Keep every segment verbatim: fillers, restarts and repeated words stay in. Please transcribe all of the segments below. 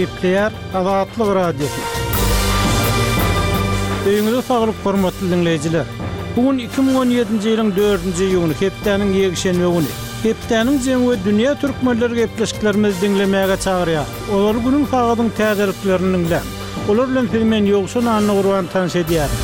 Gepleýär Azatlyk Radiosy. Öýüňize saglyk hormatly diňleýjiler. Bu gün iki müň on ýedinji ýylyň dördünji iýuny, hepdäniň ýekşenbe güni. Hepdäniň jemi we dünýä türkmenleri gepleşiklerimizi diňlemäge çagyrýar. Olar günüň sagadyň täzeliklerini diňläň. Olar bilen sizi men Ýowşan Annagurban tanyş edýärin.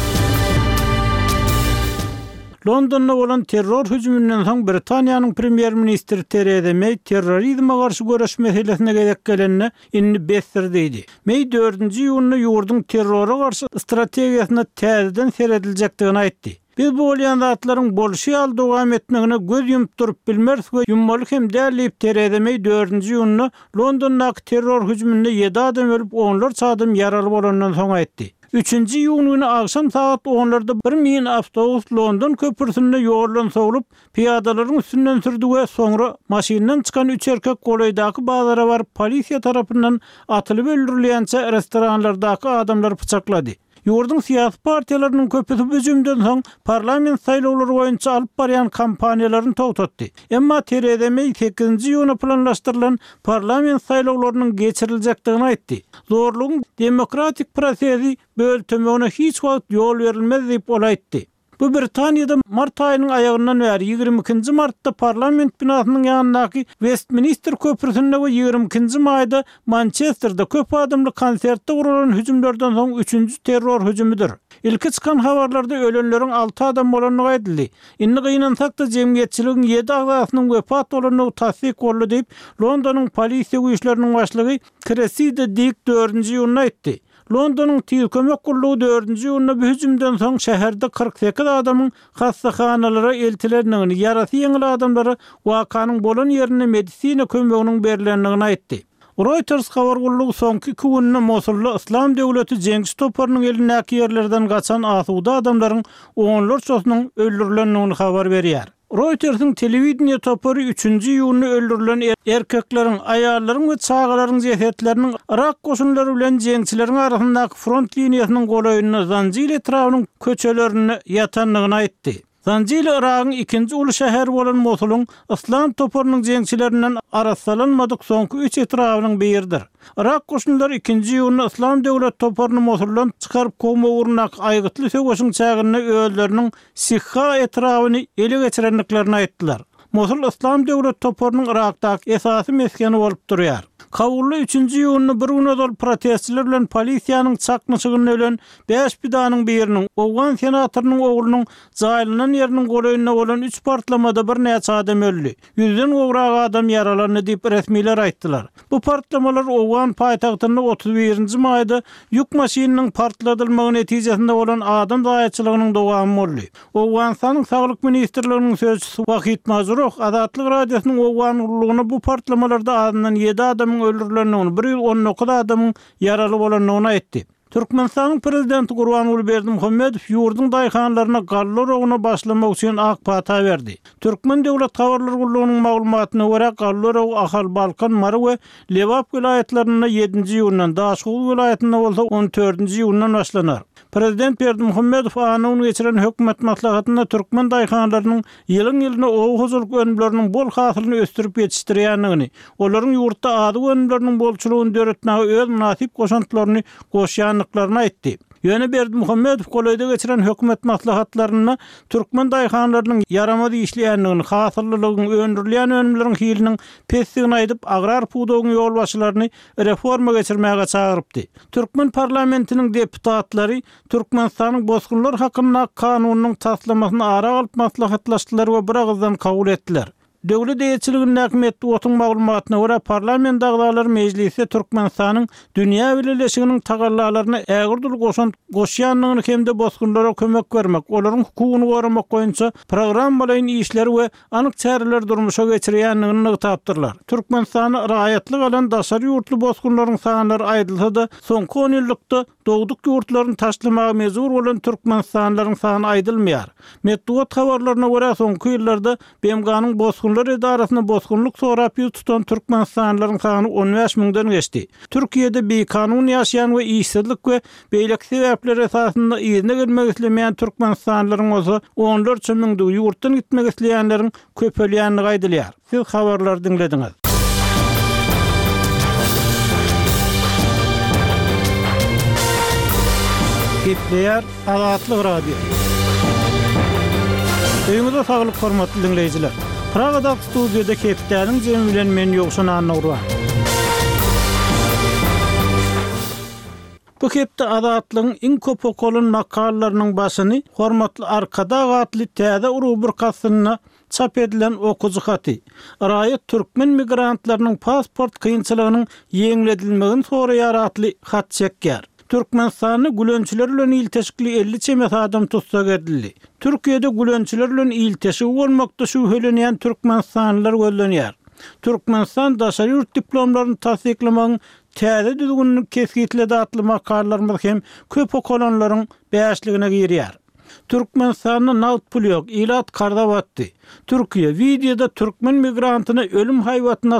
Londonda bolan terror hüjüminden soň Britaniýanyň premýer-ministri Tereza Meý terrorizme garşy göreş meselesine gezek gelende indi besdir diýdi. Meý dördünji iýunda ýurduň terrora garşy strategiýasyna täzeden serediljekdigini aýtdy. Biz bu bolýan zatlaryň bolşy ýaly dowam etmegine göz ýumup durup bilmeris we ýummaly hem däl diýip Tereza Meý dördünji iýunda Londondaky terror hüjüminde ýedi adam ölüp, onlarça adam ýaraly bolandan soň aýtdy. Üçünji iýun güni agşam sagat onlarda bir mini awtobus London köprüsinde ýoldan sowlup, pyýadalaryň üstünden sürdi we soňra maşyndan çykan üç erkek golaýdaky bazara baryp polisiýa tarapyndan atylyp öldürilýänçä restoranlardaky adamlary pyçaklady. Ýurduň syýasy partiýalarynyň köpüsi bu hüjümden soň parlament saýlawlary boýunça alyp barýan kampaniýalaryny togtatdy. Emma Tereza Meý sekizinji iýuna planlaşdyrylan parlament saýlawlarynyň geçiriljekdigini aýtdy. Zorlugyň demokratik prosesi böltemegine hiç wagt ýol berilmez diýip ol aýtdy. Bu Britaniýada mart aýynyň aýagyndan bäri ýigrimi ikinji martda parlament binasynyň ýanyndaky Westminster köprüsinde we ýigrimi ikinji maýda Mançesterde köp adamly konsertde guralan hüjümlerden soň üçünji terror hüjümidir. Ilki çykan habarlarda ölenleriň alty adam bolandygy aýdyldy. Indi gynansak-da jemgyýetçiligiň ýedi agzasynyň wepat bolandygy tassyk boldy diýip, Londonyň polisiýa güýçleriniň başlygy Cressida Dick dördünji iýunda aýtdy. Londonyň tiz kömek gullugy dördünji iýunda bu hüjümden soň şäherde kyrk sekiz adamyň hassahanalara eltilendigini, ýarasy ýeňil adamlara wakanyň bolan ýerinde medisina kömeginiň berilendigini aýtdy. Reuters habar gullugy soňky iki günde Mosulda Yslam döwleti jeňçi toparynyň elindäki ýerlerden gaçan asuda adamlaryň onlarçasynyň öldürilendigini habar berýär. Reuters'in telewideniýe topary üçünji iýunda öldürilen erkekleriň, aýallaryň we çagalaryň jesetleriniň Irak goşunlary bilen jeňçileriň arasyndaky front liniýasynyň golaýynda Zanjil etrabynyň köçelerinde ýatandygyny aýtdy. Zanjil Iragyň ikinji uly şäheri bolan Mosulyň Yslam toparynyň jeňçilerinden arassalanmadyk soňky üç etrabynyň biridir. Irak goşunlary ikinji iýunda Yslam döwlet toparyny Mosuldan çykaryp kowma ugrundaky aýgytly söweşiň çäginde özleriniň Sihha etrabyny ele geçirendiklerini aýtdylar. Mosul Yslam döwlet toparynyň Irakdaky esasy mesgeni bolup durýar. Kabulda üçünji iýunda bir gün ozal protestçiler bilen polisiýanyň çaknyşygynda ölen bäş pidanyň biriniň, Owgan senatorynyň oglunyň jaýlanan ýeriniň golaýynda bolan üç partlamada birnäçe adam öldi. Ýüzden gowrak adam ýaralandy diýip resmiler aýtdylar. Bu partlamalar Owgan paýtagtynda otuz birinji maýda ýük maşynynyň partladylmagy netijesinde bolan adam zaýaçylygynyň dowamy boldy. Owganystanyň Saglyk ministrliginiň sözçüsi Wahid Majruh Azatlyk Radiosynyň Owgan gullugyna bu partlamalarda azyndan ýedi adamyň öldürilendigini, bir ýüz on dokuz adamyň ýaraly bolandygyny aýtdy. Türkmenistanyň prezidenti Gurbanguly Berdimuhamedow ýurduň daýhanlaryna galla oragyna başlamak üçin ak pata berdi. Türkmen döwlet habarlar gullugynyň maglumatyna görä, galla oragy Ahal, Balkan, Mary we Lebap welaýatlarynda ýedinji iýundan, Daşoguz welaýatynda bolsa on dördünji iýundan başlanar. Prezident Berdimuhamedow anna gün geçiren hökümet maslahatynda türkmen daýhanlarynyň ýylyň-ýylyna oba hojalyk önümleriniň bol hasylyny ösdürip ýetişdirýändigini, olaryň ýurtda azyk önümleriniň bolçulygyny döretmäge öz mynasyp goşantlaryny goşýandyklaryny aýtdy. Ýöne Berdimuhamedow golaýda geçiren hökümet maslahatlarynda türkmen daýhanlarynyň ýaramaz işleýändigini, hasyllylygyň, öndürilýän önümleriň hiliniň pesdigini aýdyp, agrar pudagyň ýolbaşçylaryny reforma geçirmäge çagyrypdy. Türkmen parlamentiniň deputatlary Türkmenistanyň bosgunlar hakyndaky kanunynyň taslamasyny ara alyp maslahatlaşdylar we bir agyzdan kabul etdiler. Döwlet eýeçiligindäki metbugatyň maglumatyna görä, parlament agzalary mejlisde Türkmenistanyň dünýä bileleşiginiň tagallalaryna ägirt uly goşant goşýandygyny hem-de bosgunlara kömek bermek, olaryň hukugyny goramak boýunça programmalaýyn işleri we anyk çäreleri durmuşa geçirýändigini nygtapdyrlar. Türkmenistanda raýatlyk alan daşary ýurtly bosgunlaryň sanlary aýdylsa-da, soňky on ýyllykda dogduk ýurtlaryny taşlamaga mejbur bolan türkmenistanlylaryň sany aýdylmaýar. Metbugat habarlaryna görä, soňky ýyllarda B M G-nyň bosgunlar edarasyna bosgunlyk sorap ýüz tutan türkmenistanlylaryň sany on bäş müňden geçdi. Türkiýede bikanun ýaşaýan we işsizlik we beýleki sebäpler esasynda yzyna gelmek islemeýän türkmenistanlylaryň bolsa onlarça müňdügi, ýurtdan gitmek isleýänleriň köpelýändigi aýdylýar. Siz habarlary diňlediňiz. Gepleýär Azatlyk Radiosy. Öýüňize saglyk hormatly diňleýjiler. Pragadaky studiýada hepdäniň jemi bilen men Ýowşan Annagurban. Bu hepde Azatlygyň iň köp okalan makalalarynyň başyny Hormatly Arkadag atly täze rubrika astynda çap edilen okyjy haty, Raýat türkmen migrantlarynyň pasport kynçylygynyň ýeňledilmegini soraýar atly hat çekýär. Türkmenistanda gülençiler bilen ilteşikli elli çemesi adam tussag edildi. Türkiýede gülençiler bilen ilteşigi bolmakda şübhelenýän türkmenistanlylar gözlenýär. Türkmenistan daşary ýurt diplomlaryny tassyklamagyň täze düzgünini kesgitledi atly makalalarymyz hem köp okalanlaryň bäşligine girýär. Türkmenistanda nagt pul ýok, ilat karza batdy. Türkiýe wideoda türkmen migrantyna ölüm haýbatyny